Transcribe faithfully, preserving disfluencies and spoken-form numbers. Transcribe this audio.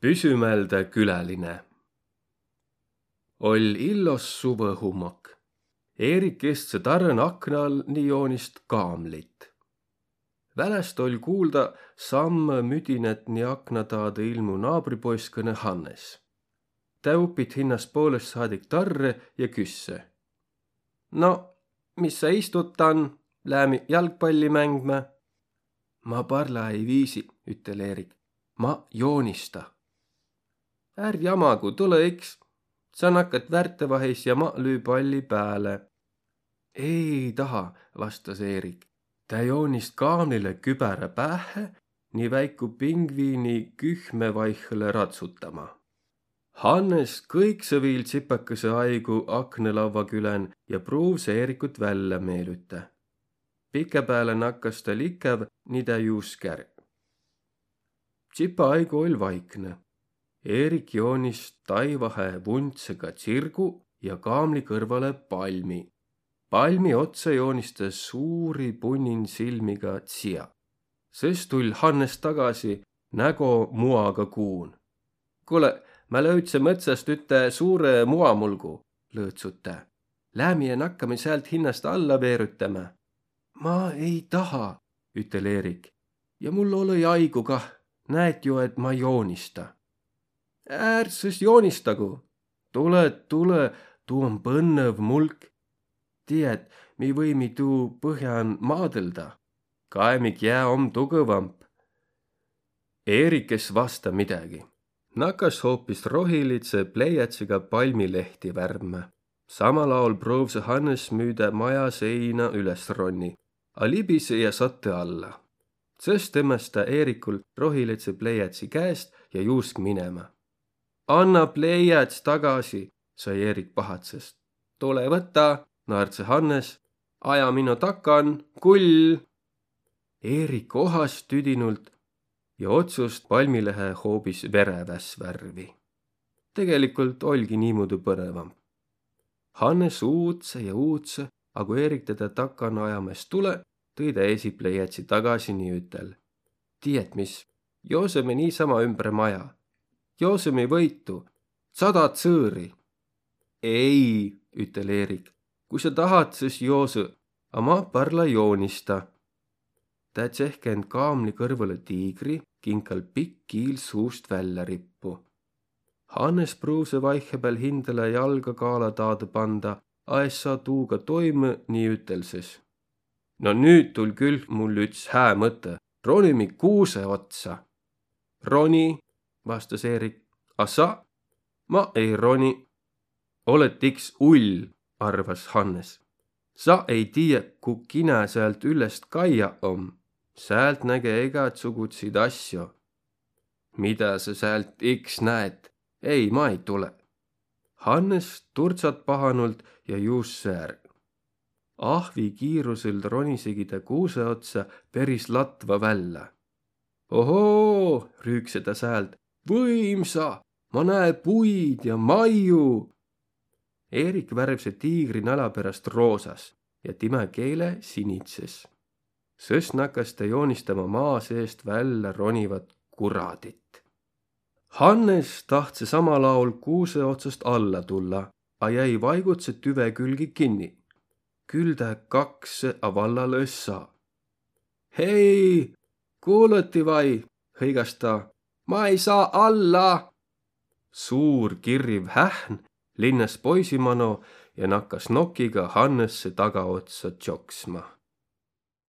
Püsümäldä küläline. Oll' illos suvõhummak. Eerik istsõ tarrõn akna all ni joonist' kaamlit. Väläst oll' kuulda sammõ müdinät ni akna taadõ ilmu' naabripoiskõnõ Hannes. Tä upit' hinnäst poolõst saadik tarrõ ja küsse: No, mis sa istut tan, läämi jalgpalli mängmä? Ma parla ei viisi, ütel' Eerik. Ma joonista. Är jamagu, tulõ iks. Sa nakkat värtevahis ja ma lüü palli pääle. Ei taha, vastas Eerik. Tä joonist' kaamlilõ kübärä päähhe ni väiku pingviini kühme vaihhõlõ ratsutama. Hannes kõiksõ viil tsipakõsõ aigu aknõlavva külän ja pruuvsõ Eerikut vällä meelütä. Pikä pääle nakkas tä likäv ni tä juusk' är. Tsipa aigu oll' vaiknõ. Eerik joonis' taivahe vundsega tsirgu ja kaamli kõrvalõ palmi. Palmi otsa joonis' tä suuri punnin silmiga tsia. Sõs tull' Hannes tagasi, nägo muaga kuun. Kuule, ma löüdse mõtsast üte suure muamulgu, lõõtsut tä. Läämi ja nakkami säält hinnäst alla veerütämä. Ma ei taha, ütel' Eerik. Ja mul olõ-i aigu kah, näet jo, et ma joonista. Är sõs joonistagu. Tulõ, tulõ, tuu om põnnõv mulk. Tiiät, mi võimi tuu põhjan maadõlda. Kaemi, kiä om tugõvamp. Eerik es vasta midägi. Nakkas hoopis rohilidsõ pleiätsiga palmilehti värvmä. Samal aol pruuvsõ Hannes müüdä maja seina üles ronni, a libisõ ja sattõ alla. Sõs tõmmas tä Eerikul rohilidsõ pleiätsi käest ja juusk' minema. Anna pleiäts tagasi, sai Eerik pahatsas. Tule võta, naardsõ Hannes. Aja mino takan, kull. Eerik ohas tüdinult ja otsust' palmilehe hoobis vereväs värvi. Tegelikult oll'gi niimuudu põnõvamb. Hannes uutsõ ja uutsõ, a ku Eerik tedä takan ajama es tulõ, tõi tä esi pleiätsi tagasi ni ütel': Tiiät mis, joosõmi niisama ümbre maja. Joosõmi võitu, sada tsõõri. Ei, ütel' Eerik, kui sa tahat, sõs joosõ, a ma parla joonista. Tä tsehkend' kaamli kõrvalõ tiigri, kinkal pikk kiil suust vällä rippu. Hannes pruuvsõ vaihhepääl hindäle jalga kaala taadõ panda, a es saa tuuga toimõ ni ütel' sõs: No nüüt tull' küll mul üts hää mõtõ, ronimi kuusõ otsa. Roni, vastas Eerik, a sa? Ma ei roni. Olõt iks ull, arvas Hannes. Sa ei tiiä, ku kinä säält üllest kaia om. Säält näge egätsugutsit asjo. Midä sa säält iks näet? Ei, ma ei tule. Hannes turtsat pahanult ja juusse är. Ahvi kiirusõl ronisegi tä kuusõ otsa peris latva vällä. Ohoo, rüükse tä säält, võimsa, ma näe puid ja maiu. Eerik värvse tiigri nala peräst roosas ja timä keele sinidses. Sõs nakas tä joonistama maa seest vällä ronivat kuradit. Hannes tahtsõ samal aol kuusõ otsast alla tulla, a jäi vaigutsõ tüve külgi kinni. Küll tä kaksõ, a vallalõ es saa. Hei, kuulõti vai, hõigas ta, ma ei saa alla! Suur kirriv hähn linnas poisi mano ja nakkas nokiga Hannesse tagaotsa tsoksma.